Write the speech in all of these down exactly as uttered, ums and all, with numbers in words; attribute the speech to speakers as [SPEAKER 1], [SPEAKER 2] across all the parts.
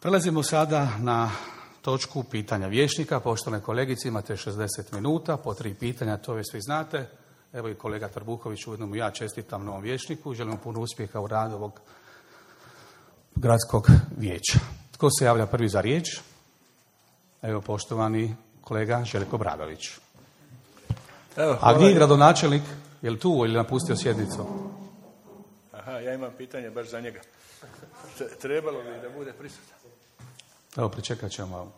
[SPEAKER 1] Prelazimo sada na točku pitanja vijećnika. Poštovane kolegice, imate šezdeset minuta, po tri pitanja, to vi svi znate. Evo i kolega Trbuković, ujedno mu ja čestitam novom vijećniku i želim puno uspjeha u radu ovog gradskog vijeća. Tko se javlja prvi za riječ? Evo, poštovani kolega Željko Bradović. Evo, a gdje je gradonačelnik? Je li tu ili napustio sjednicu?
[SPEAKER 2] Aha, ja imam pitanje baš za njega. Trebalo bi da bude prisutan.
[SPEAKER 1] Evo, pričekat ćemo malo.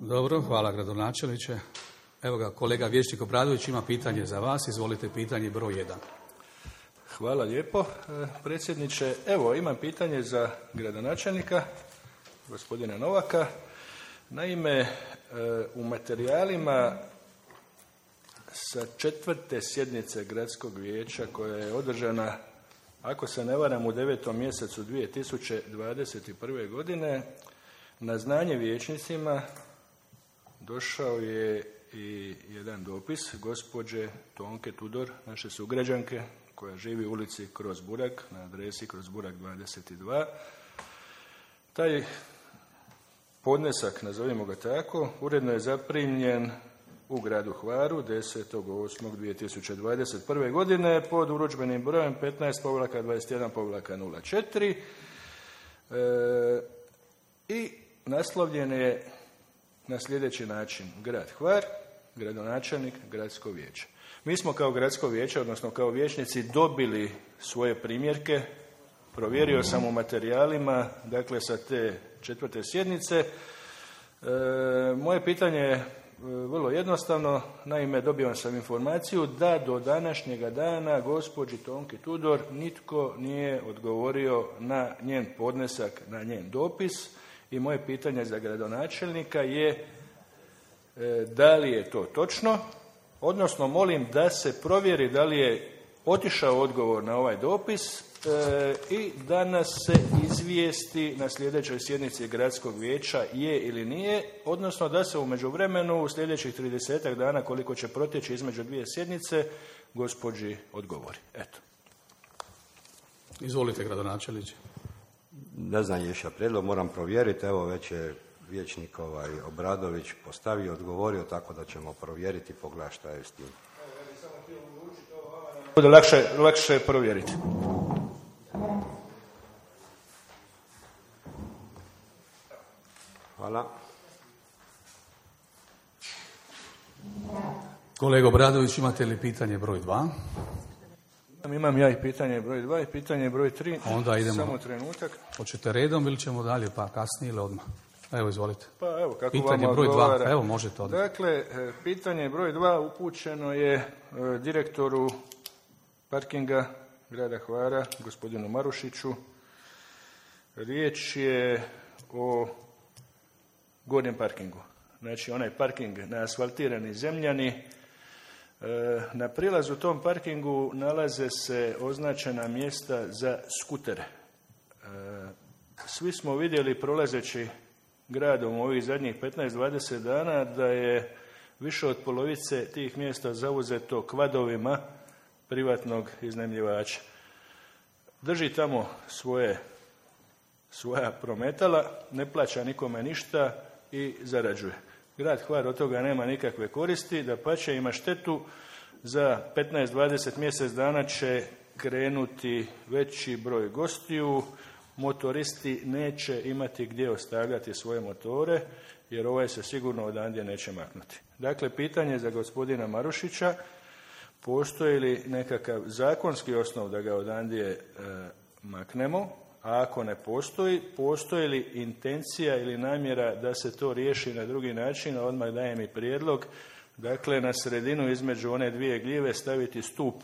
[SPEAKER 1] Dobro, hvala gradonačelniče. Evo ga, kolega vijećnik Obradović ima pitanje za vas. Izvolite, pitanje broj jedan.
[SPEAKER 2] Hvala lijepo, predsjedniče. Evo, imam pitanje za gradonačelnika, gospodina Novaka. Naime, u materijalima sa četvrte sjednice gradskog vijeća koja je održana, ako se ne varam, u devetom mjesecu dvije tisuće dvadeset prve. godine, na znanje vijećnicima došao je i jedan dopis gospođe Tonke Tudor, naše sugrađanke, koja živi u ulici Kroz Burak, na adresi Kroz Burak dvadeset dva. Taj podnesak, nazovimo ga tako, uredno je zaprimljen u gradu Hvaru desetog osmog dvije tisuće dvadeset prve. godine pod urudžbenim brojem petnaest dvadeset jedan nula četiri e, i naslovljen je na sljedeći način: grad Hvar, gradonačelnik, gradsko vijeće. Mi smo kao gradsko vijeće, odnosno kao vijećnici, dobili svoje primjerke, provjerio sam u materijalima, dakle sa te četvrte sjednice. E, moje pitanje je vrlo jednostavno. Naime, dobio sam informaciju da do današnjega dana gospođi Tonki Tudor nitko nije odgovorio na njen podnesak, na njen dopis. I moje pitanje za gradonačelnika je da li je to točno, odnosno molim da se provjeri da li je otišao odgovor na ovaj dopis i da nas se izvijesti na sljedećoj sjednici gradskog vijeća je ili nije, odnosno da se u međuvremenu u sljedećih tridesetak dana, koliko će protjeći između dvije sjednice, gospođi odgovori. Eto.
[SPEAKER 1] Izvolite, gradonačelniče.
[SPEAKER 3] Ne znam ješa prijedlog, moram provjeriti. Evo, već je vijećnik ovaj Obradović postavio, odgovorio, tako da ćemo provjeriti, pogledati šta je s tim.
[SPEAKER 2] Bude lakše, lakše provjeriti.
[SPEAKER 3] Hvala.
[SPEAKER 1] Kolega Obradović, imate li pitanje broj dva?
[SPEAKER 2] Imam ja i pitanje broj dva i pitanje broj tri.
[SPEAKER 1] Onda idemo.
[SPEAKER 2] Samo trenutak.
[SPEAKER 1] Hoćete redom ili ćemo dalje, pa kasnije ili odmah? Evo, izvolite.
[SPEAKER 2] Pa evo, kako
[SPEAKER 1] pitanje
[SPEAKER 2] vam
[SPEAKER 1] broj
[SPEAKER 2] odgovara.
[SPEAKER 1] dva, evo možete odmah.
[SPEAKER 2] Dakle, pitanje broj dva upućeno je direktoru parkinga grada Hvara, gospodinu Marušiću. Riječ je o gornjem parkingu. Znači, onaj parking na asfaltirani zemljani. Na prilazu tom parkingu nalaze se označena mjesta za skutere. Svi smo vidjeli, prolazeći gradom ovih zadnjih petnaest do dvadeset dana, da je više od polovice tih mjesta zauzeto kvadovima privatnog iznajmljivača. Drži tamo svoje, svoja prometala, ne plaća nikome ništa i zarađuje. Grad Hvar od toga nema nikakve koristi, dapače ima štetu. Za petnaest do dvadeset mjesec dana će krenuti veći broj gostiju, motoristi neće imati gdje ostavljati svoje motore, jer ovaj se sigurno odandje neće maknuti. Dakle, pitanje za gospodina Marušića: postoji li nekakav zakonski osnov da ga odandje e, maknemo? A ako ne postoji, postoji li intencija ili namjera da se to riješi na drugi način? Odmah dajem i prijedlog. Dakle, na sredinu između one dvije gljive staviti stup.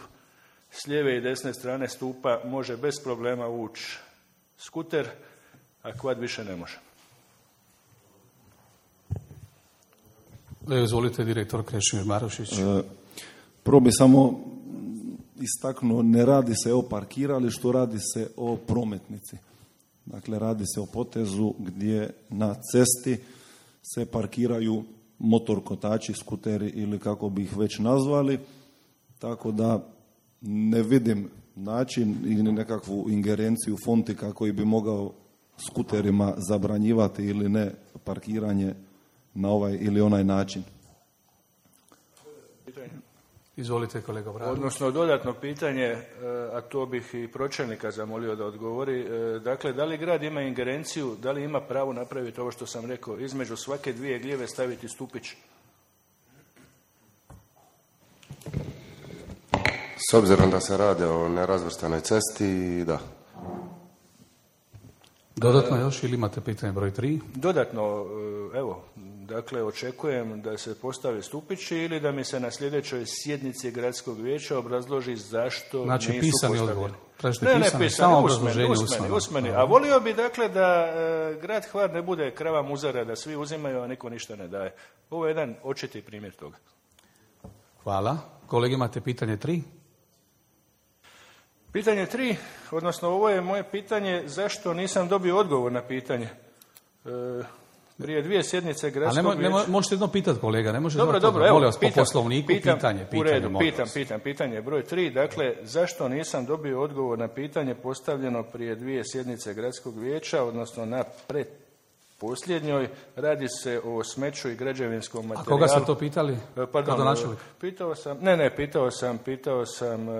[SPEAKER 2] S lijeve i desne strane stupa može bez problema ući skuter, a kvad više ne može.
[SPEAKER 1] Izvolite, direktor Krešimir Marušić.
[SPEAKER 4] E, prvo bi samo istaknuo, ne radi se o parkiralištu, radi se o prometnici. Dakle, radi se o potezu gdje na cesti se parkiraju motorkotači, skuteri ili kako bi ih već nazvali, tako da ne vidim način ili nekakvu ingerenciju Fontika koji bi mogao skuterima zabranjivati ili ne parkiranje na ovaj ili onaj način.
[SPEAKER 1] Izvolite, kolega Obradović.
[SPEAKER 2] Odnosno, dodatno pitanje, a to bih i pročelnika zamolio da odgovori. Dakle, da li grad ima ingerenciju, da li ima pravo napraviti ovo što sam rekao, između svake dvije gljive staviti stupić?
[SPEAKER 5] S obzirom da se radi o nerazvrstanoj cesti, da.
[SPEAKER 1] Dodatno još ili imate pitanje broj tri?
[SPEAKER 2] Dodatno, evo, dakle, očekujem da se postave stupići ili da mi se na sljedećoj sjednici gradskog vijeća obrazloži zašto
[SPEAKER 1] znači,
[SPEAKER 2] nisu
[SPEAKER 1] pisani
[SPEAKER 2] postavljeni.
[SPEAKER 1] Odgovor. Tražite
[SPEAKER 2] ne,
[SPEAKER 1] pisani,
[SPEAKER 2] ne, pisani,
[SPEAKER 1] samo
[SPEAKER 2] usmeni,
[SPEAKER 1] obrazloženje
[SPEAKER 2] usmeni,
[SPEAKER 1] usmeno.
[SPEAKER 2] usmeni. A volio bi, dakle, da e, grad Hvar ne bude krava muzara, da svi uzimaju, a niko ništa ne daje. Ovo je jedan očiti primjer toga.
[SPEAKER 1] Hvala. Kolegi, imate pitanje tri?
[SPEAKER 2] Pitanje tri, odnosno ovo je moje pitanje, zašto nisam dobio odgovor na pitanje. E, prije dvije sjednice gradskog
[SPEAKER 1] vijeća...
[SPEAKER 2] vijeća...
[SPEAKER 1] Možete jedno pitati, kolega, ne možete...
[SPEAKER 2] Dobro,
[SPEAKER 1] zato,
[SPEAKER 2] dobro, evo,
[SPEAKER 1] molim vas,
[SPEAKER 2] pitam,
[SPEAKER 1] po poslovniku,
[SPEAKER 2] pitam,
[SPEAKER 1] pitanje, pitanje,
[SPEAKER 2] u redu,
[SPEAKER 1] molim
[SPEAKER 2] pitam,
[SPEAKER 1] vas.
[SPEAKER 2] pitam, pitanje broj tri, dakle, zašto nisam dobio odgovor na pitanje postavljeno prije dvije sjednice gradskog vijeća, odnosno na predposljednjoj, radi se o smeću i građevinskom materijalu.
[SPEAKER 1] A koga ste to pitali?
[SPEAKER 2] Pardon,
[SPEAKER 1] Gradonačelnik?
[SPEAKER 2] pitao sam, ne, ne, pitao sam, pitao sam, e, e,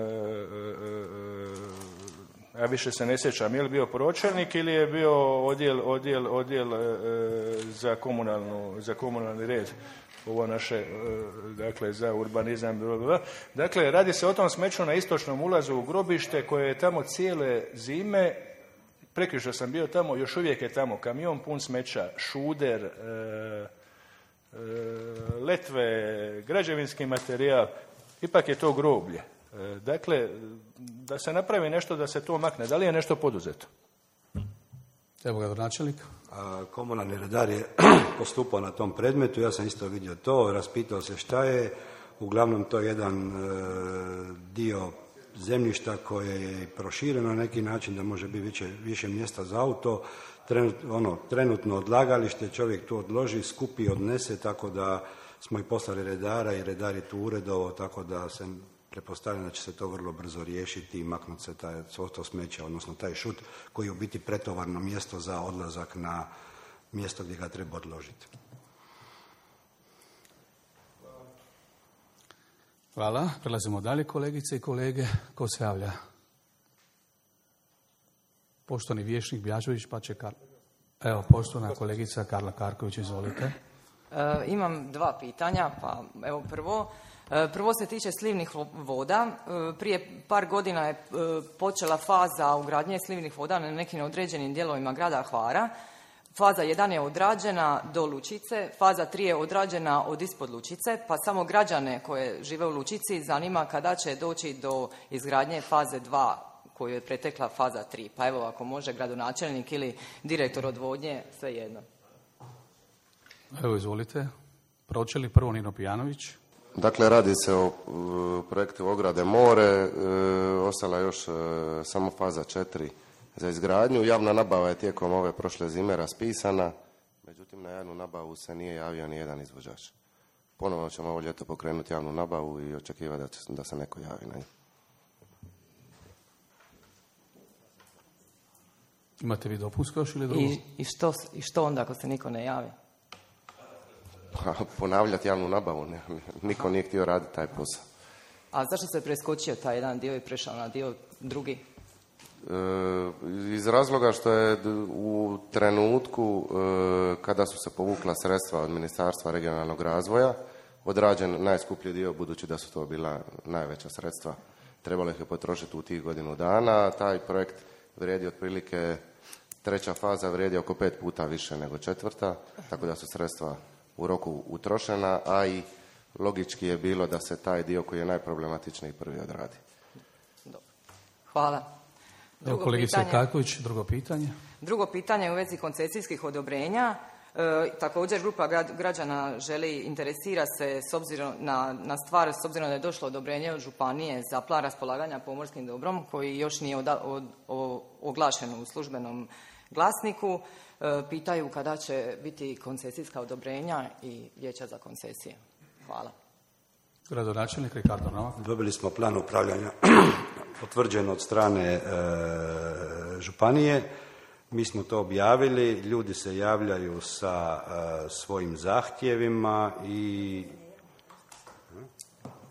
[SPEAKER 2] ja više se ne sjećam, je li bio pročelnik ili je bio odjel, odjel, odjel e, za, komunalnu, za komunalni red, ovo naše, e, dakle, za urbanizam, blablabla. Dakle, radi se o tom smeću na istočnom ulazu u grobište koje je tamo cijele zime. Prekjučer sam bio tamo, još uvijek je tamo kamion pun smeća, šuder, e, e, letve, građevinski materijal, ipak je to groblje. E, dakle, da se napravi nešto da se to makne. Da li je nešto poduzeto?
[SPEAKER 1] Evo ga, načelnik.
[SPEAKER 3] Komunalni redar je postupao na tom predmetu, ja sam isto vidio to, raspitao se šta je, uglavnom to je jedan e, dio zemljišta koje je prošireno na neki način da može biti više, više mjesta za auto, Trenut, ono, trenutno odlagalište, čovjek tu odloži, skupi, odnese, tako da smo i poslali redara i redar je tu uredovo, tako da se pretpostavljam da će se to vrlo brzo riješiti i maknuti se taj, to smeće, odnosno taj šut koji je u biti pretovarno mjesto za odlazak na mjesto gdje ga treba odložiti.
[SPEAKER 1] Hvala. Prelazimo dalje, kolegice i kolege. Ko se javlja? Poštovani vijećnik Bjažović, pa će Karla. Evo, poštovana kolegica Karla Karković, izvolite.
[SPEAKER 6] E, imam dva pitanja, pa evo prvo. E, prvo se tiče slivnih voda. E, prije par godina je e, počela faza ugradnje slivnih voda na nekim određenim dijelovima grada Hvara. Faza jedan je odrađena do Lučice, faza tri je odrađena od ispod Lučice, pa samo građane koje žive u Lučici zanima kada će doći do izgradnje faze dva koju je pretekla faza tri. Pa evo, ako može gradonačelnik ili direktor odvodnje, svejedno.
[SPEAKER 1] Evo, izvolite. Pročelnik prvo Nino Pijanović.
[SPEAKER 5] Dakle, radi se o uh, projektu ograde more, uh, ostala još uh, samo faza četiri za izgradnju. Javna nabava je tijekom ove prošle zime raspisana, međutim na javnu nabavu se nije javio ni jedan izvođač. Ponovno ćemo ovo ljeto pokrenuti javnu nabavu i očekivati da, će, da se neko javi na nju.
[SPEAKER 1] Imate vi dopunsko još ili drugo?
[SPEAKER 6] I, i, što, I što onda ako se niko ne javi?
[SPEAKER 5] Pa, ponavljati javnu nabavu, ne, niko nije htio raditi taj posao.
[SPEAKER 6] A zašto se preskočio taj jedan dio i prešao na dio drugi?
[SPEAKER 5] E, iz razloga što je u trenutku e, kada su se povukla sredstva od Ministarstva regionalnog razvoja odrađen najskuplji dio, budući da su to bila najveća sredstva. Trebalo ih je potrošiti u tih godinu dana. Taj projekt vrijedi otprilike, treća faza vrijedi oko pet puta više nego četvrta, tako da su sredstva u roku utrošena, a i logički je bilo da se taj dio koji je najproblematičniji prvi odradi.
[SPEAKER 6] Dobro. Hvala.
[SPEAKER 1] Evo, kolegica Kaković, drugo pitanje.
[SPEAKER 6] Drugo pitanje u vezi koncesijskih odobrenja. E, također grupa građana želi, interesira se s obzirom na, na stvar, s obzirom da je došlo odobrenje od županije za plan raspolaganja pomorskim dobrom koji još nije oda, od, o, oglašen u službenom glasniku. E, pitaju kada će biti koncesijska odobrenja i vijeća za koncesije. Hvala.
[SPEAKER 1] Gradonačelnik Ricardo Novak.
[SPEAKER 3] Dobili smo plan upravljanja potvrđen od strane e, županije. Mi smo to objavili, ljudi se javljaju sa e, svojim zahtjevima i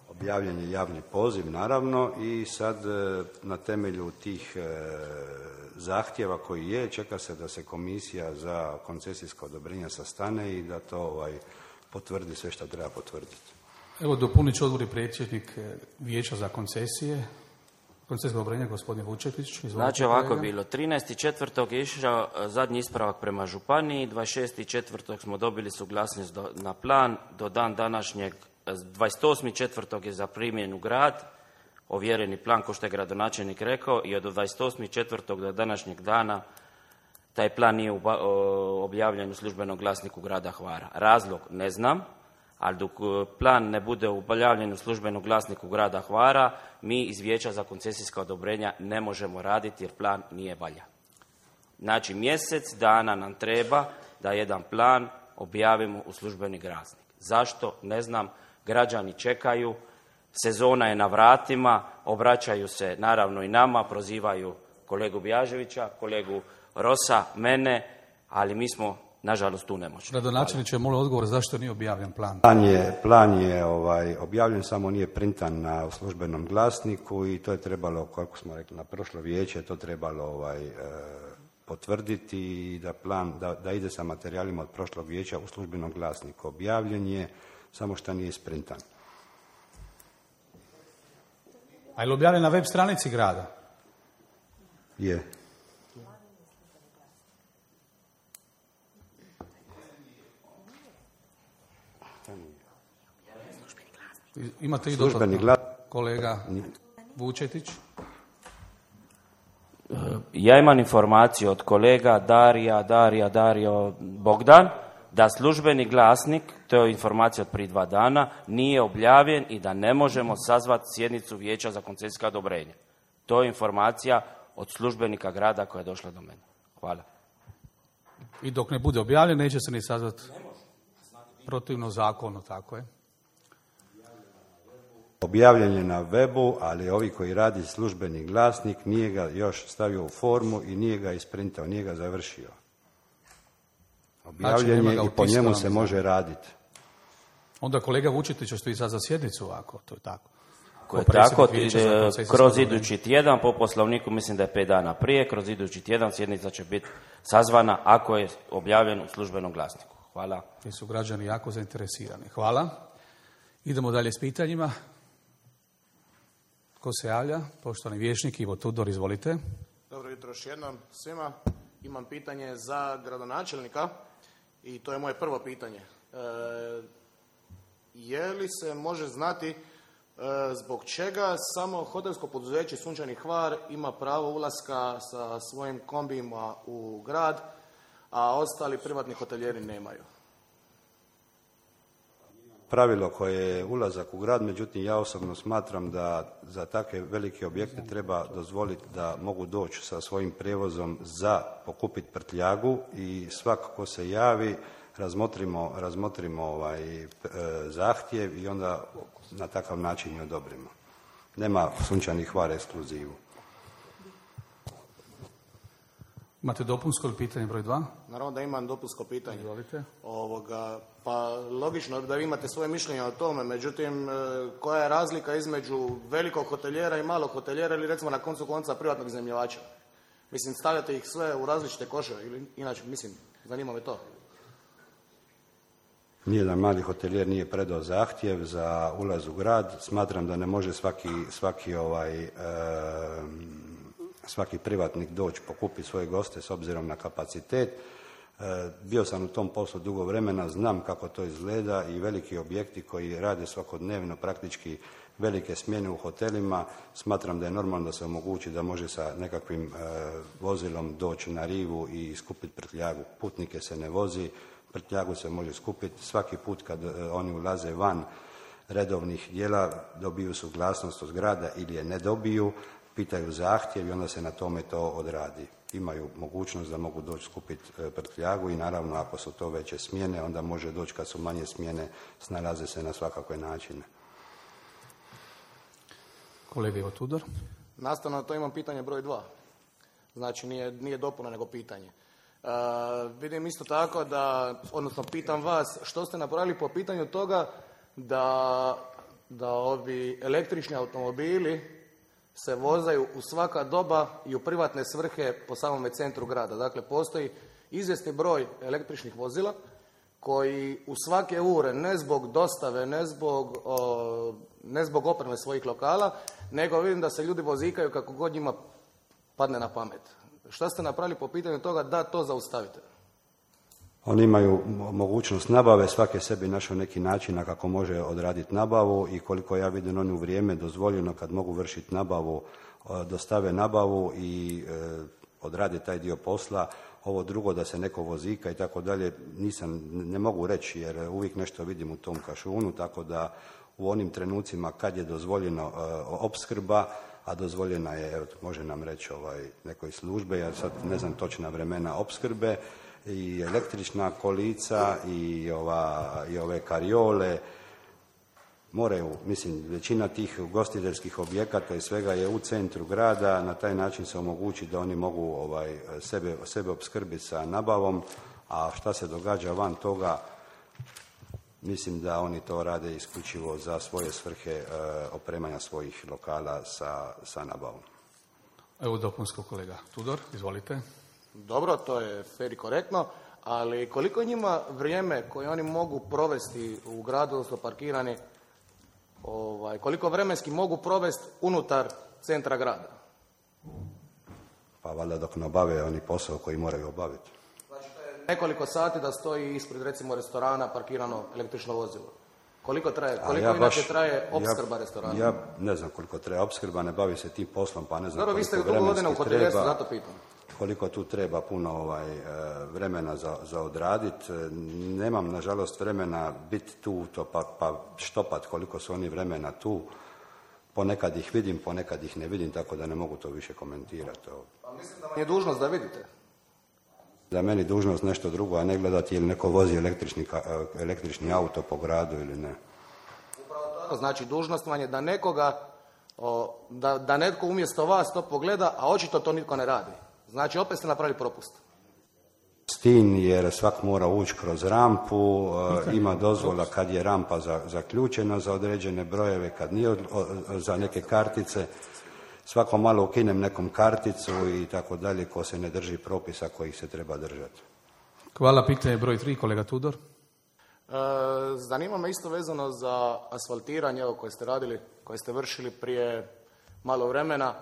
[SPEAKER 3] objavljen je javni poziv naravno i sad e, na temelju tih e, zahtjeva koji je, čeka se da se komisija za koncesijsko odobrenje sastane i da to ovaj, potvrdi sve što treba potvrditi.
[SPEAKER 1] Evo, dopunit ću odgovor i predsjednik vijeća za koncesije. Koncesijsko odobrenje, gospodin Vučetić. Izvolite,
[SPEAKER 7] znači ovako
[SPEAKER 1] kolega.
[SPEAKER 7] bilo, trinaesti četvrtog je išao zadnji ispravak prema županiji, dvadeset šesti četvrtog smo dobili suglasnost do, na plan, do dan današnjeg, dvadeset osmi četvrtog je zaprimljen u grad, ovjereni plan, ko što je gradonačelnik rekao, i od dvadeset osmi četvrtog do današnjeg dana taj plan nije uba, o, objavljen u službenom glasniku grada Hvara. Razlog ne znam, ali dok plan ne bude objavljen u službenom glasniku grada Hvara, mi iz vijeća za koncesijska odobrenja ne možemo raditi jer plan nije valjan. Znači mjesec dana nam treba da jedan plan objavimo u službeni glasnik. Zašto? Ne znam. Građani čekaju, sezona je na vratima, obraćaju se naravno i nama, prozivaju kolegu Bjaževića, kolegu Rosa, mene, ali mi smo nažalost tu nemoćni.
[SPEAKER 1] Gradonačelniče, molim odgovor zašto nije objavljen plan.
[SPEAKER 3] Plan je, plan je ovaj, objavljen, samo nije printan na službenom glasniku i to je trebalo, kako smo rekli, na prošlo vijeće, to trebalo ovaj, e, potvrditi i da plan, da, da ide sa materijalima od prošlog vijeća u službenom glasniku. Objavljen je, samo što nije sprintan.
[SPEAKER 1] A je li objavljen na web stranici grada?
[SPEAKER 3] Je.
[SPEAKER 1] Imate i
[SPEAKER 3] Službeni
[SPEAKER 1] dodatno,
[SPEAKER 3] glas...
[SPEAKER 1] kolega Vučetić.
[SPEAKER 7] Ja imam informaciju od kolega Darija, Darija, Dario Bogdan, da službeni glasnik, to je informacija od prije dva dana, nije objavljen i da ne možemo sazvati sjednicu vijeća za koncesijska odobrenja. To je informacija od službenika grada koja je došla do mene. Hvala.
[SPEAKER 1] I dok ne bude objavljen, neće se ni sazvati protivno zakonu, tako je.
[SPEAKER 3] Objavljen je na webu, ali ovi koji radi službeni glasnik nije ga još stavio u formu i nije ga isprintao, nije ga završio. Objavljen je i po njemu se može raditi.
[SPEAKER 1] Onda kolega Vučetić će stoji sad za sjednicu ovako, to je tako.
[SPEAKER 7] Ko je tako, kroz idući tjedan, po poslovniku mislim da je pet dana prije, kroz idući tjedan sjednica će biti sazvana ako je objavljen u službenom glasniku. Hvala.
[SPEAKER 1] Jer su građani jako zainteresirani. Hvala. Idemo dalje s pitanjima. Ko se javlja? Poštovani vijećnik Ivo Tudor, izvolite.
[SPEAKER 8] Dobro jutro još jednom svima. Imam pitanje za gradonačelnika i to je moje prvo pitanje. E, je li se može znati e, zbog čega samo hotelsko poduzeće Sunčani Hvar ima pravo ulaska sa svojim kombijima u grad, a ostali privatni hotelijeri nemaju?
[SPEAKER 3] Pravilo koje je ulazak u grad, međutim ja osobno smatram da za takve velike objekte treba dozvoliti da mogu doći sa svojim prijevozom za pokupiti prtljagu i svako ko se javi razmotrimo, razmotrimo ovaj, e, zahtjev i onda na takav način je odobrimo. Nema Sunčani Hvar ekskluzivu.
[SPEAKER 1] Imate dopunsko ili pitanje broj dva?
[SPEAKER 8] Naravno da imam dopunsko pitanje.
[SPEAKER 1] Izvolite.
[SPEAKER 8] Ovoga, pa logično da vi imate svoje mišljenje o tome, međutim, koja je razlika između velikog hotelijera i malog hotelijera ili recimo na koncu konca privatnog iznajmljivača? Mislim, stavljate ih sve u različite koševe ili inače, mislim, zanima me to.
[SPEAKER 3] Nijedan mali hotelijer nije predao zahtjev za ulaz u grad. Smatram da ne može svaki, svaki ovaj... E, svaki privatnik doći pokupiti svoje goste s obzirom na kapacitet. E, bio sam u tom poslu dugo vremena, znam kako to izgleda i veliki objekti koji rade svakodnevno praktički velike smjene u hotelima, smatram da je normalno da se omogući da može sa nekakvim e, vozilom doći na rivu i skupiti prtljagu. Putnike se ne vozi, prtljagu se može skupiti. Svaki put kad oni ulaze van redovnih dijela dobiju suglasnost od grada ili je ne dobiju, pitaju zahtjev i onda se na tome to odradi. Imaju mogućnost da mogu doći skupiti prtljagu i naravno ako su to veće smjene, onda može doći kad su manje smjene, snalaze se na svakakve načine.
[SPEAKER 1] Kolega Ivo Tudor.
[SPEAKER 8] Nastavno na to imam pitanje broj dva. Znači nije, nije dopuna nego pitanje. Uh, vidim isto tako da, odnosno pitam vas, što ste napravili po pitanju toga da, da ovi električni automobili se vozaju u svaka doba i u privatne svrhe po samome centru grada. Dakle, postoji izvjesni broj električnih vozila koji u svake ure, ne zbog dostave, ne zbog, o, ne zbog opreme svojih lokala, nego vidim da se ljudi vozikaju kako god njima padne na pamet. Šta ste napravili po pitanju toga da to zaustavite?
[SPEAKER 3] Oni imaju mogućnost nabave, svake sebi našao neki način na kako može odraditi nabavu i koliko ja vidim oni u vrijeme dozvoljeno kad mogu vršiti nabavu, dostave nabavu i e, odrade taj dio posla. Ovo drugo da se neko vozika i tako dalje nisam, ne mogu reći jer uvijek nešto vidim u tom kašunu, tako da u onim trenucima kad je dozvoljeno e, opskrba, a dozvoljena je, evo, može nam reći ovaj, nekoj službe, ja sad ne znam točna vremena opskrbe, i električna kolica i, ova, i ove kariole moraju, mislim, većina tih ugostiteljskih objekata i svega je u centru grada, na taj način se omogući da oni mogu ovaj, sebe, sebe opskrbiti sa nabavom, a šta se događa van toga, mislim da oni to rade isključivo za svoje svrhe e, opremanja svojih lokala sa, sa nabavom.
[SPEAKER 1] Evo dopunsko kolega Tudor, izvolite.
[SPEAKER 8] Dobro, to je fer i korektno, ali koliko je njima vrijeme koje oni mogu provesti u gradu, odnosno parkirani, ovaj, koliko vremenski mogu provesti unutar centra grada?
[SPEAKER 3] Pa valjda dok ne obave oni posao koji moraju obaviti.
[SPEAKER 8] Znači to je nekoliko sati da stoji ispred recimo restorana parkirano električno vozilo. Koliko traje, koliko ja inače baš, traje opskrba
[SPEAKER 3] ja,
[SPEAKER 8] restorana?
[SPEAKER 3] Ja ne znam koliko traje opskrba, ne bavi se tim poslom, pa ne znam
[SPEAKER 8] Dobro,
[SPEAKER 3] koliko
[SPEAKER 8] vi ste dugo godina u hotelijerstvu, zato pitam.
[SPEAKER 3] Koliko tu treba puno ovaj, vremena za, za odraditi. Nemam, nažalost, vremena biti tu to pa, pa štopat koliko su oni vremena tu. Ponekad ih vidim, ponekad ih ne vidim, tako da ne mogu to više komentirati.
[SPEAKER 8] Pa mislim da vam je dužnost da vidite.
[SPEAKER 3] Da je meni dužnost nešto drugo, a ne gledati ili neko vozi električni, električni auto po gradu ili ne.
[SPEAKER 8] Upravo tako, znači dužnost vam je da nekoga, o, da, da netko umjesto vas to pogleda, a očito to nitko ne radi. Znači, opet ste napravili propust.
[SPEAKER 3] Stin, jer svak mora ući kroz rampu, ima dozvola kad je rampa za, zaključena za određene brojeve, kad nije za neke kartice. Svako malo ukinem nekom karticu i tako dalje, ko se ne drži propisa kojih se treba držati.
[SPEAKER 1] Hvala, pitanje broj tri, kolega Tudor.
[SPEAKER 8] E, zanima me isto vezano za asfaltiranje, evo, koje ste radili, koje ste vršili prije malo vremena.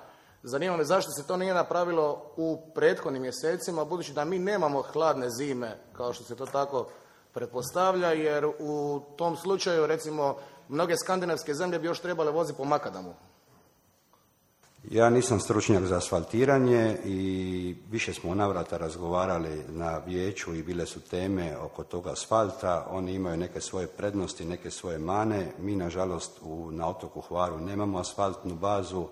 [SPEAKER 8] Zanima me zašto se to nije napravilo u prethodnim mjesecima, budući da mi nemamo hladne zime, kao što se to tako pretpostavlja, jer u tom slučaju, recimo, mnoge skandinavske zemlje bi još trebale voziti po makadamu.
[SPEAKER 3] Ja nisam stručnjak za asfaltiranje i više smo u navrata razgovarali na vijeću i bile su teme oko toga asfalta. Oni imaju neke svoje prednosti, neke svoje mane. Mi, nažalost, u, na otoku Hvaru nemamo asfaltnu bazu.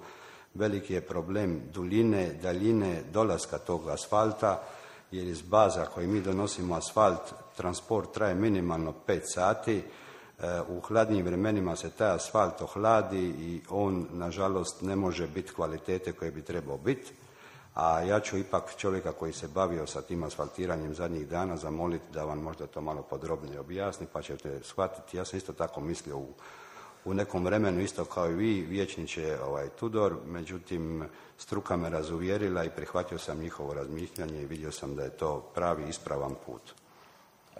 [SPEAKER 3] Veliki je problem duljine, daljine dolaska tog asfalta, jer iz baza koji mi donosimo asfalt, transport traje minimalno pet sati. U hladnijim vremenima se taj asfalt ohladi i on, nažalost, ne može biti kvalitete koje bi trebao biti. A ja ću ipak čovjeka koji se bavio sa tim asfaltiranjem zadnjih dana zamoliti da vam možda to malo podrobnije objasni, pa ćete shvatiti. Ja sam isto tako mislio u u nekom vremenu, isto kao i vi, vijećniče ovaj, Tudor, međutim, struka me razuvjerila i prihvatio sam njihovo razmišljanje i vidio sam da je to pravi, ispravan put.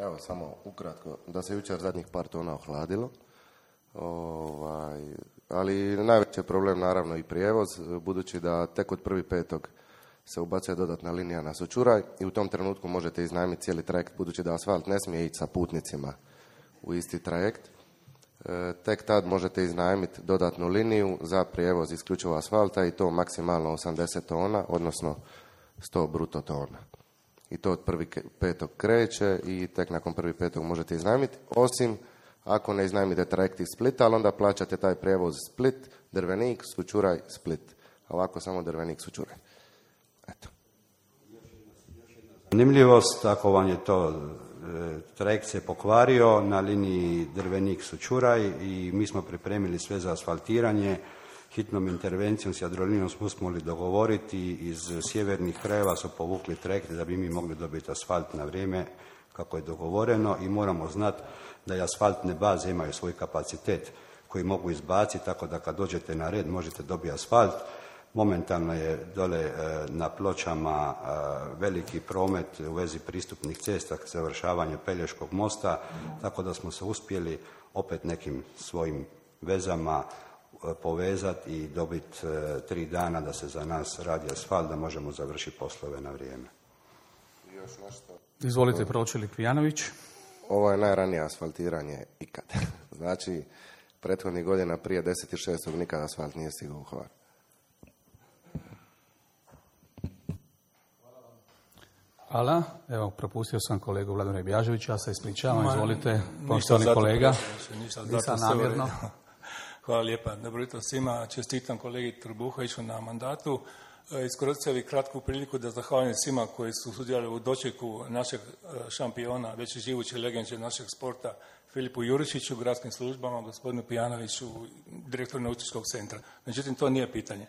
[SPEAKER 5] Evo, samo ukratko, da se jučer zadnjih par tona ohladilo, ovaj, ali najveći je problem naravno i prijevoz, budući da tek od prvi petog se ubacuje dodatna linija na Sočuraj i u tom trenutku možete iznajmiti cijeli trajekt, budući da asfalt ne smije ići sa putnicima u isti trajekt. Tek tad možete iznajmiti dodatnu liniju za prijevoz isključivo asfalta i to maksimalno osamdeset tona, odnosno sto bruto tona. i to od prvog petog kreće i tek nakon prvog petog možete iznajmiti, osim ako ne iznajmite trajekt iz Splita, ali onda plaćate taj prijevoz Split, Drvenik, Sućuraj, Split. A ovako samo Drvenik, Sućuraj. Eto.
[SPEAKER 3] Zanimljivost, ako vam je to trajekt se pokvario na liniji Drvenik-Sućuraj i mi smo pripremili sve za asfaltiranje. Hitnom intervencijom s Jadrolinom smo uspjeli dogovoriti, iz sjevernih krajeva su povukli trajekt da bi mi mogli dobiti asfalt na vrijeme kako je dogovoreno i moramo znati da i asfaltne baze imaju svoj kapacitet koji mogu izbaciti, tako da kad dođete na red možete dobiti asfalt. Momentalno je dole na Pločama veliki promet u vezi pristupnih cesta, završavanje Pelješkog mosta, tako da smo se uspjeli opet nekim svojim vezama povezati i dobiti tri dana da se za nas radi asfalt, da možemo završiti poslove na vrijeme.
[SPEAKER 5] Još nešto.
[SPEAKER 1] Izvolite, pročelnik Pijanović.
[SPEAKER 5] Ovo je najranije asfaltiranje ikad. Znači, prethodnih godina prije deset šestog nikad asfalt nije stigao u Hvar.
[SPEAKER 1] Hvala. Evo, propustio sam kolegu Vladimira Bjaževića, ja se ispričavam, izvolite, poštovani kolega. Nisam namjerno.
[SPEAKER 9] Hvala lijepa. Dobro jutro svima. Čestitam kolegi Trbuhoviću na mandatu. Iskoristio bih kratku priliku da zahvalim svima koji su sudjelovali u dočeku našeg šampiona, već živuće legende našeg sporta, Filipu Jurišiću, gradskim službama, gospodinu Pijanoviću, direktoru nautičkog centra. Međutim, to nije pitanje.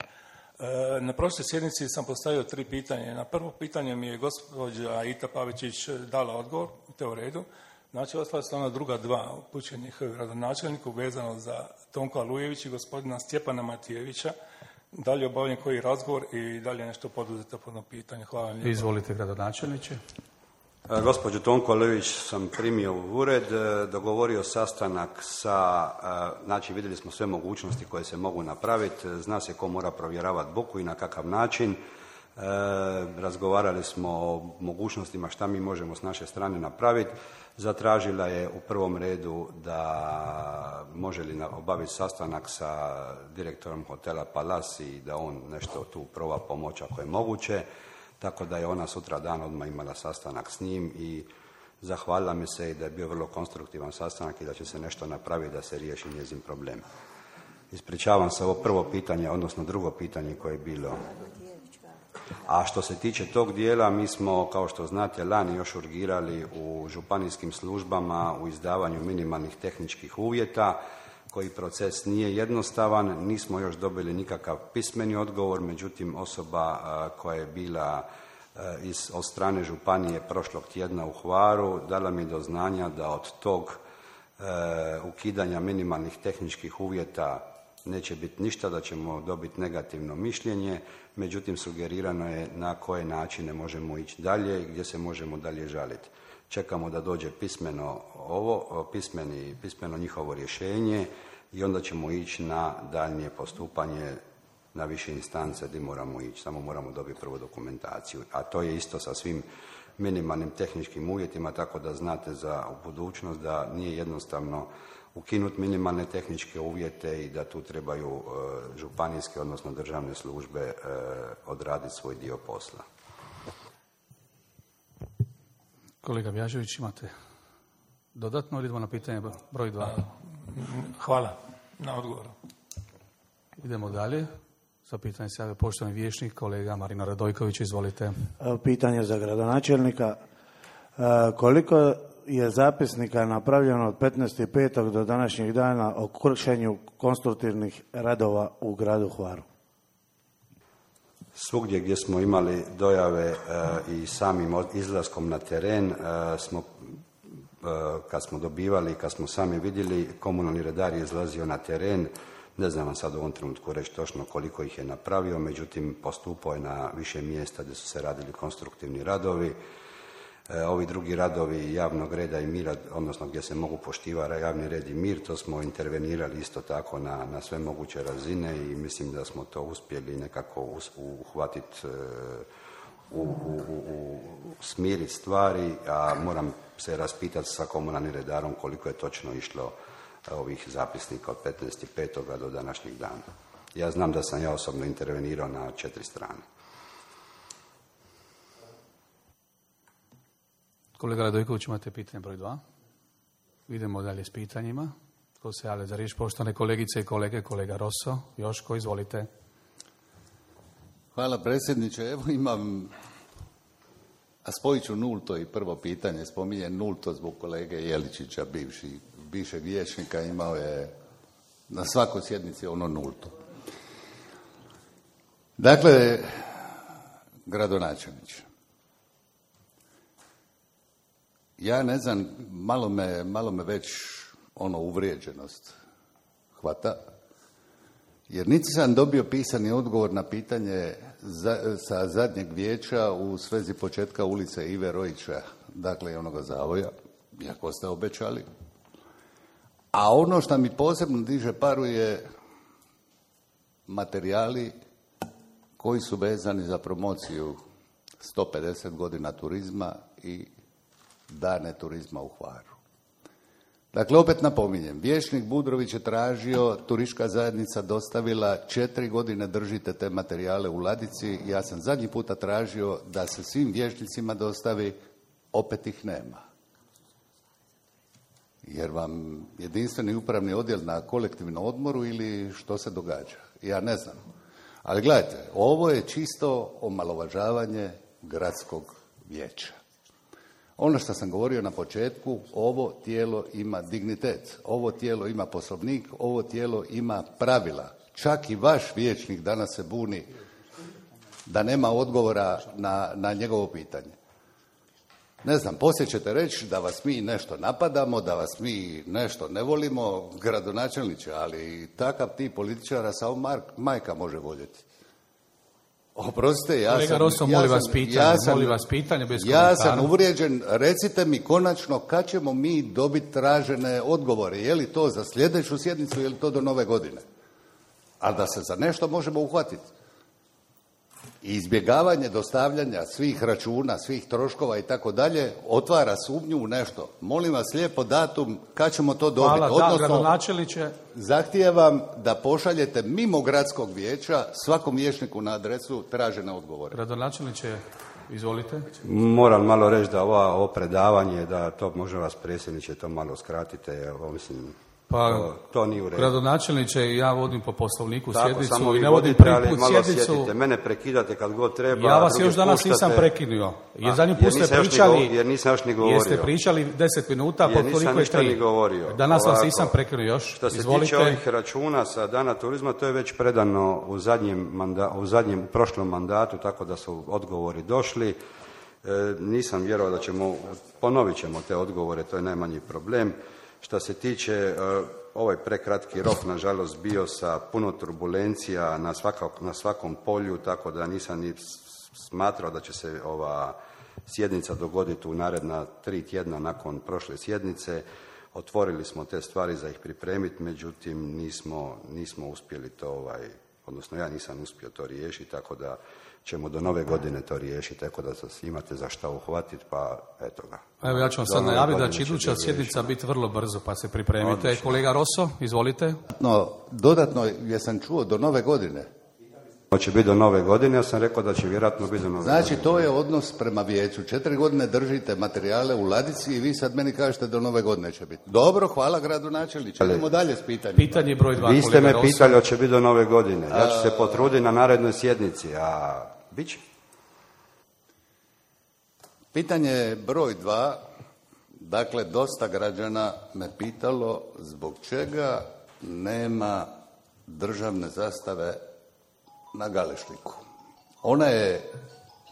[SPEAKER 9] Na prošloj sjednici sam postavio tri pitanja. Na prvo pitanje mi je gospođa Ita Pavičić dala odgovor, to je u redu. Znači, ostala su ona druga dva upućenih gradonačelniku vezano za Tonka Lujević i gospodina Stjepana Matijevića. Da li je obavljen koji razgovor i da li je nešto poduzeto po jednom pitanju? Hvala vam lijepo.
[SPEAKER 1] Izvolite, gradonačelniče.
[SPEAKER 3] Gospođu Tonko Lujević sam primio u ured, dogovorio sastanak sa, znači vidjeli smo sve mogućnosti koje se mogu napraviti, zna se ko mora provjeravati buku i na kakav način. E, razgovarali smo o mogućnostima šta mi možemo s naše strane napraviti. Zatražila je u prvom redu da može li obaviti sastanak sa direktorom hotela Palas i da on nešto tu proba pomoći ako je moguće. Tako da je ona sutra dan odmah imala sastanak s njim i zahvalila mi se i da je bio vrlo konstruktivan sastanak i da će se nešto napraviti da se riješi njezin problem. Ispričavam se, ovo prvo pitanje, odnosno drugo pitanje koje je bilo. A što se tiče tog dijela, mi smo, kao što znate, lani još urgirali u županijskim službama u izdavanju minimalnih tehničkih uvjeta, koji proces nije jednostavan, nismo još dobili nikakav pismeni odgovor, međutim osoba koja je bila iz, od strane županije prošlog tjedna u Hvaru dala mi do znanja da od tog e, ukidanja minimalnih tehničkih uvjeta neće biti ništa, da ćemo dobiti negativno mišljenje, međutim sugerirano je na koje načine možemo ići dalje i gdje se možemo dalje žaliti. Čekamo da dođe pismeno ovo, pismeni, pismeno njihovo rješenje i onda ćemo ići na daljnje postupanje na više instance gdje moramo ići. Samo moramo dobiti prvu dokumentaciju. A to je isto sa svim minimalnim tehničkim uvjetima, tako da znate za budućnost da nije jednostavno ukinuti minimalne tehničke uvjete i da tu trebaju e, županijske, odnosno državne službe e, odraditi svoj dio posla.
[SPEAKER 1] Kolega Bjažević, imate dodatno ili idemo na pitanje broj dva?
[SPEAKER 9] Hvala na odgovoru.
[SPEAKER 1] Idemo dalje. Za pitanje se javio poštovani vijećnik, kolega Marino Radojković, izvolite.
[SPEAKER 10] Pitanje za gradonačelnika. Koliko je zapisnika napravljeno od petnaestog petog do današnjeg dana o kršenju konstruktivnih radova u gradu Hvaru?
[SPEAKER 3] Svugdje gdje smo imali dojave e, i samim izlaskom na teren, e, smo, e, kad smo dobivali, kad smo sami vidjeli, komunalni redar je izlazio na teren. Ne znam vam sad u ovom trenutku reći točno koliko ih je napravio, međutim postupao je na više mjesta gdje su se radili konstruktivni radovi. E, ovi drugi radovi javnog reda i mira, odnosno gdje se mogu poštivati javni red i mir, to smo intervenirali isto tako na, na sve moguće razine i mislim da smo to uspjeli nekako uhvatiti, u, u, u, u smiriti stvari, a moram se raspitati sa komunalnim redarom koliko je točno išlo ovih zapisnika od petnaestog petog do današnjeg dana. Ja znam da sam ja osobno intervenirao na četiri strane.
[SPEAKER 1] Kolega Radojković, imate pitanje broj dva. Idemo dalje s pitanjima. Tko se javlja za riječ? Poštovane kolegice i kolege, kolega Rosso, Joško, izvolite.
[SPEAKER 11] Hvala predsjedniče. Evo imam, a spojit ću nulto i prvo pitanje. Spominjem nulto zbog kolege Jeličića, bivši, bivšeg vijećnika, imao je na svakoj sjednici ono nulto. Dakle, gradonačelniče, ja ne znam, malo me, malo me već ono uvrijeđenost hvata, jer niti sam dobio pisani odgovor na pitanje za, sa zadnjeg vijeća u svezi početka ulice Ive Rojića, dakle onoga zavoja, iako ste obećali. A ono što mi posebno diže paru je materijali koji su vezani za promociju sto pedeset godina turizma i dane turizma u Hvaru. Dakle, opet napominjem, vijećnik Budrović je tražio, turistička zajednica dostavila, četiri godine držite te materijale u ladici. Ja sam zadnji puta tražio da se svim vijećnicima dostavi, opet ih nema. Jer vam jedinstveni upravni odjel na kolektivnom odmoru ili što se događa? Ja ne znam. Ali gledajte, ovo je čisto omalovažavanje gradskog vijeća. Ono što sam govorio na početku, ovo tijelo ima dignitet, ovo tijelo ima poslovnik, ovo tijelo ima pravila. Čak i vaš vijećnik danas se buni da nema odgovora na, na njegovo pitanje. Ne znam, poslije ćete reći da vas mi nešto napadamo, da vas mi nešto ne volimo, gradonačelniče, ali takav tip političara samo Mark, majka može voljeti. Oprostite, ja
[SPEAKER 1] Kolega
[SPEAKER 11] sam...
[SPEAKER 1] Rosso,
[SPEAKER 11] ja
[SPEAKER 1] molim
[SPEAKER 11] sam,
[SPEAKER 1] vas pitanje,
[SPEAKER 11] ja sam,
[SPEAKER 1] molim vas pitanje bez
[SPEAKER 11] Ja
[SPEAKER 1] komentara.
[SPEAKER 11] sam uvrijeđen, recite mi konačno kad ćemo mi dobiti tražene odgovore, je li to za sljedeću sjednicu, je li to do nove godine? Ali da se za nešto možemo uhvatiti. I izbjegavanje dostavljanja svih računa, svih troškova i tako dalje, otvara sumnju u nešto. Molim vas lijepo datum kad ćemo to dobiti.
[SPEAKER 1] Hvala,
[SPEAKER 11] Odnosno,
[SPEAKER 1] da, gradonačelniče.
[SPEAKER 11] Zahtijevam da pošaljete mimo gradskog vijeća svakom vijećniku na adresu tražene odgovore.
[SPEAKER 1] Gradonačelniče, izvolite.
[SPEAKER 3] Moram malo reći da ova, ovo predavanje, da to može vas predsjedniče, to malo skratite, ovo mislim,
[SPEAKER 1] Pa,
[SPEAKER 3] to, to nije u redu.
[SPEAKER 1] Gradonačelniče, ja vodim po poslovniku
[SPEAKER 3] Tako,
[SPEAKER 1] sjednicu
[SPEAKER 3] samo
[SPEAKER 1] i
[SPEAKER 3] vi
[SPEAKER 1] ne vodim
[SPEAKER 3] vodite,
[SPEAKER 1] prvi
[SPEAKER 3] ali
[SPEAKER 1] put
[SPEAKER 3] malo
[SPEAKER 1] sjednicu.
[SPEAKER 3] sjedite. Mene prekidate kad god treba.
[SPEAKER 1] Ja vas
[SPEAKER 3] druge
[SPEAKER 1] još danas
[SPEAKER 3] puštate.
[SPEAKER 1] nisam prekinuo. Jer
[SPEAKER 3] A,
[SPEAKER 1] zadnji
[SPEAKER 3] jer
[SPEAKER 1] put ste
[SPEAKER 3] nisam još ni
[SPEAKER 1] pričali,
[SPEAKER 3] go- jer nisam još ni govorio.
[SPEAKER 1] jeste pričali deset minuta,
[SPEAKER 3] Jer
[SPEAKER 1] po
[SPEAKER 3] nisam
[SPEAKER 1] koliko je
[SPEAKER 3] ništa ni
[SPEAKER 1] tri.
[SPEAKER 3] govorio.
[SPEAKER 1] Danas vas
[SPEAKER 3] Ovako,
[SPEAKER 1] nisam prekinuo još.
[SPEAKER 3] Što se
[SPEAKER 1] Izvolite.
[SPEAKER 3] tiče ovih računa sa Dana turizma, to je već predano u zadnjem, manda, u zadnjem u prošlom mandatu, tako da su odgovori došli. E, nisam vjerovao da ćemo, ponovit ćemo te odgovore, to je najmanji problem. Što se tiče, e, ovaj prekratki rok, nažalost, bio sa puno turbulencija na, svakak, na svakom polju, tako da nisam ni smatrao da će se ova sjednica dogoditi u naredna tri tjedna nakon prošle sjednice. Otvorili smo te stvari za ih pripremiti, međutim nismo, nismo uspjeli to, ovaj, odnosno ja nisam uspio to riješiti, tako da ćemo do nove godine to riješiti, tako da se imate za šta uhvatiti, pa eto ga.
[SPEAKER 1] Evo ja ću vam
[SPEAKER 3] Do
[SPEAKER 1] sad
[SPEAKER 3] nove
[SPEAKER 1] najaviti da
[SPEAKER 3] godine
[SPEAKER 1] će
[SPEAKER 3] će
[SPEAKER 1] iduća
[SPEAKER 3] biti
[SPEAKER 1] sjednica
[SPEAKER 3] riješeno.
[SPEAKER 1] biti vrlo brzo, pa se pripremite.
[SPEAKER 3] Odlično.
[SPEAKER 1] Kolega Rosso, izvolite.
[SPEAKER 11] No, dodatno, jesam čuo do nove godine.
[SPEAKER 3] To će biti do nove godine, ja sam rekao da će vjerojatno biti do nove
[SPEAKER 11] Znači,
[SPEAKER 3] godine.
[SPEAKER 11] to je odnos prema vijeću. Četiri godine držite materijale u ladici i vi sad meni kažete do nove godine će biti. Dobro, hvala gradonačelniče. Idemo dalje s pitanjem.
[SPEAKER 1] Pitanje broj dva,
[SPEAKER 3] Vi ste
[SPEAKER 1] kolega
[SPEAKER 3] me
[SPEAKER 1] Rosso.
[SPEAKER 3] pitali hoće biti do nove godine. Ja ću se potruditi na narednoj sjednici, a bit će.
[SPEAKER 11] Pitanje broj dva. Dakle, dosta građana me pitalo zbog čega nema državne zastave na Galešliku. Ona je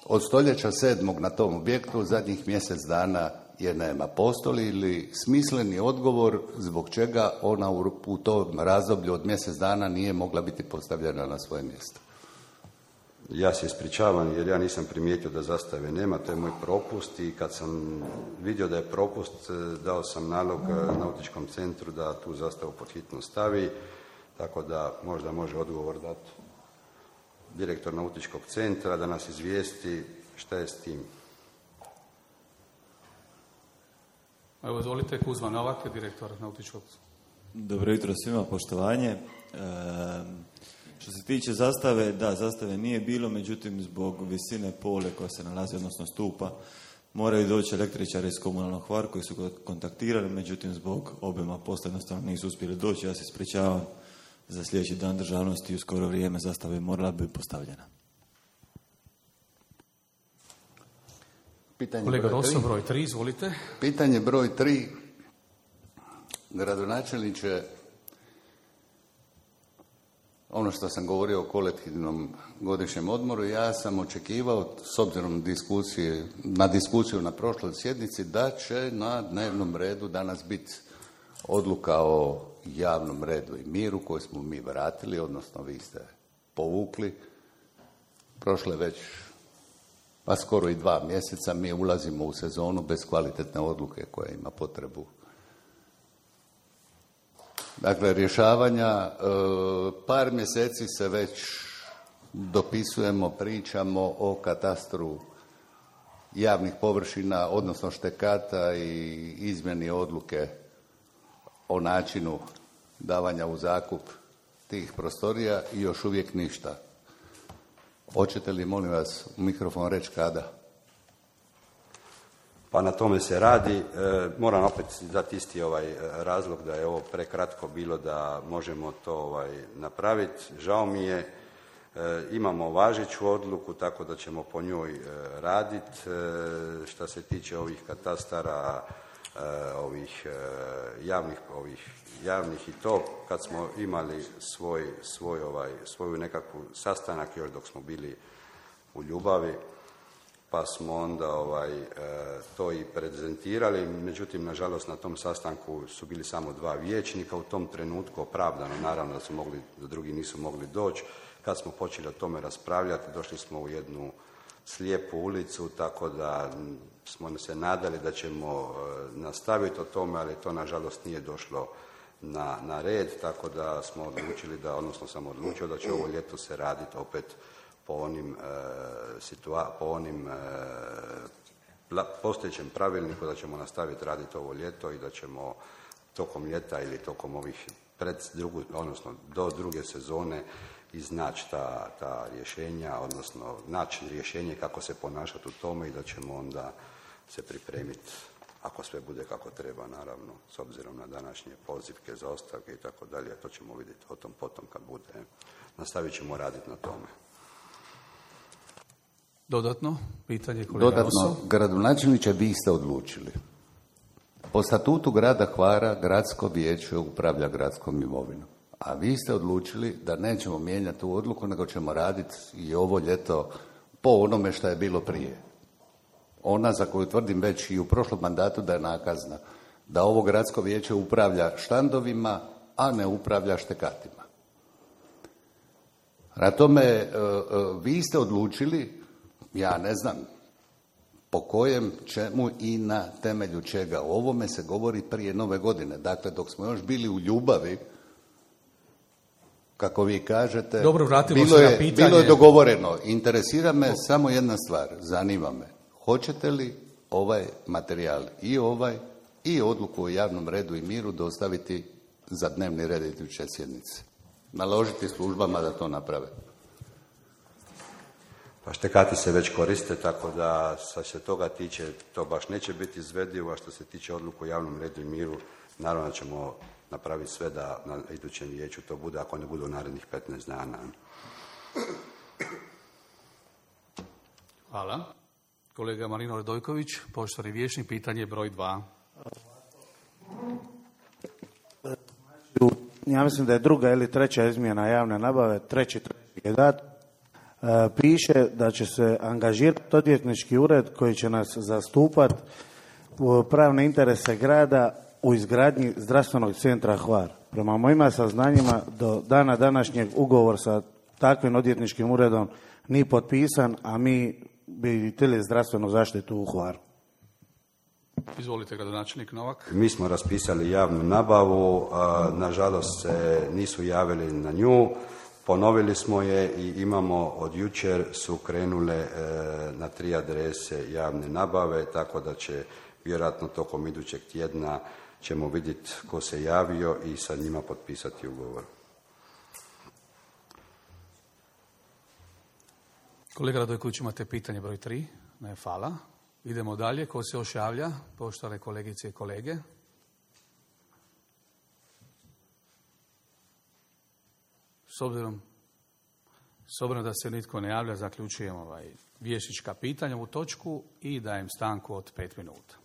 [SPEAKER 11] od stoljeća sedmog na tom objektu, zadnjih mjesec dana je nema. Postoji li smisleni odgovor zbog čega ona u, u tom razdoblju od mjesec dana nije mogla biti postavljena na svoje mjesto?
[SPEAKER 3] Ja se ispričavam jer ja nisam primijetio da zastave nema, to je moj propust i kad sam vidio da je propust, dao sam nalog nautičkom centru da tu zastavu pod hitno stavi, tako da možda može odgovor dati direktor nautičkog centra da nas izvijesti šta je s tim.
[SPEAKER 1] Evo, izvolite, Kuzma Novak, direktor nautičkog.
[SPEAKER 12] Dobro jutro svima, poštovanje. E, što se tiče zastave, da, zastave nije bilo, međutim zbog visine pole koja se nalazi, odnosno stupa, moraju doći električari iz komunalnog Hvar koji su ga kontaktirali, međutim zbog obima posla jednostavno nisu uspjeli doći. Ja se ispričavam, za sljedeći dan državnosti u skoro vrijeme zastava bi morala biti postavljena.
[SPEAKER 11] Pitanje
[SPEAKER 1] Kolega
[SPEAKER 11] broj
[SPEAKER 1] Rosso, broj tri, izvolite.
[SPEAKER 11] Pitanje broj tri. Gradonačelniče, ono što sam govorio o kolektivnom godišnjem odmoru, ja sam očekivao, s obzirom diskusije, na diskusiju na prošloj sjednici, da će na dnevnom redu danas biti odluka o javnom redu i miru koju smo mi vratili, odnosno vi ste povukli. Prošle već pa skoro i dva mjeseca mi ulazimo u sezonu bez kvalitetne odluke koja ima potrebu. Dakle, rješavanja, e, par mjeseci se već dopisujemo, pričamo o katastru javnih površina, odnosno štekata i izmjeni odluke o načinu davanja u zakup tih prostorija i još uvijek ništa. Hoćete li, molim vas, u mikrofon reći kada?
[SPEAKER 3] Pa na tome se radi. E, moram opet dati isti ovaj razlog da je ovo prekratko bilo da možemo to ovaj, napraviti. Žao mi je, e, imamo važeću odluku, tako da ćemo po njoj e, raditi. E, što se tiče ovih katastara, e, ovih, e, javnih, ovih javnih i to, kad smo imali svoj, svoj ovaj, svoju nekakvu sastanak još dok smo bili u Ljubavi, pa smo onda ovaj, e, to i prezentirali. Međutim, nažalost, na tom sastanku su bili samo dva vijećnika. U tom trenutku opravdano, naravno da su mogli, da drugi nisu mogli doći. Kad smo počeli o tome raspravljati, došli smo u jednu slijepu ulicu, tako da smo se nadali da ćemo e, nastaviti o tome, ali to nažalost nije došlo na, na red, tako da smo odlučili da, odnosno sam odlučio da će ovo ljeto se raditi opet po onim, e, situa- po onim e, pla- postojećem pravilniku, da ćemo nastaviti raditi ovo ljeto i da ćemo tokom ljeta ili tokom ovih pred drugu, odnosno do druge sezone iznaći ta, ta rješenja, odnosno naći rješenje kako se ponašati u tome i da ćemo onda se pripremiti ako sve bude kako treba, naravno, s obzirom na današnje pozivke za ostavke i tako dalje, to ćemo vidjeti o tom potom kad bude. Nastavit ćemo raditi na tome.
[SPEAKER 1] Dodatno, pitanje kolega
[SPEAKER 11] Dodatno,
[SPEAKER 1] Rosso.
[SPEAKER 11] gradonačelniče, vi ste odlučili. Po statutu grada Hvara, gradsko vijeće upravlja gradskom imovinom. A vi ste odlučili da nećemo mijenjati tu odluku, nego ćemo raditi i ovo ljeto po onome što je bilo prije. Ona za koju tvrdim već i u prošlom mandatu da je nakazna, da ovo gradsko vijeće upravlja štandovima, a ne upravlja štekatima. Na tome, vi ste odlučili, ja ne znam po kojem, čemu i na temelju čega. O ovome se govori prije nove godine. Dakle, dok smo još bili u Ljubavi, kako vi kažete,
[SPEAKER 1] Dobro, vratimo
[SPEAKER 11] bilo,
[SPEAKER 1] se na
[SPEAKER 11] je,
[SPEAKER 1] pitanje.
[SPEAKER 11] bilo je dogovoreno. Interesira me samo jedna stvar, zanima me. Hoćete li ovaj materijal i ovaj i odluku o javnom redu i miru dostaviti za dnevni red iduće sjednice? Naložiti službama da to naprave.
[SPEAKER 3] Pa štekati se već koriste, tako da što se toga tiče, to baš neće biti izvedivo, a što se tiče odluku o javnom redu i miru, naravno ćemo napraviti sve da na idućem vijeću to bude, ako ne bude u narednih petnaest dana.
[SPEAKER 1] Hvala. Kolega Marino Radojković, poštovani vijećnik, pitanje broj dva.
[SPEAKER 10] Ja mislim da je druga ili treća izmjena javne nabave, treći treći je dat. E, piše da će se angažirati odvjetnički ured koji će nas zastupati u pravne interese grada u izgradnji zdravstvenog centra Hvar. Prema mojima saznanjima do dana današnjeg ugovor sa takvim odvjetničkim uredom nije potpisan, a mi bi htjeli zdravstvenu zaštitu u Hvaru.
[SPEAKER 1] Izvolite, gradonačelnik Novak.
[SPEAKER 3] Mi smo raspisali javnu nabavu, a, nažalost se nisu javili na nju, ponovili smo je i imamo od jučer su krenule e, na tri adrese javne nabave, tako da će vjerojatno tokom idućeg tjedna ćemo vidjeti ko se javio i sa njima potpisati ugovor.
[SPEAKER 1] Kolega Radojković, imate pitanje broj tri. Ne, hvala. Idemo dalje. Ko se još javlja? Poštovane kolegice i kolege. S obzirom, s obzirom da se nitko ne javlja, zaključujem ovaj vijećnička pitanja u točku i dajem stanku od pet minuta.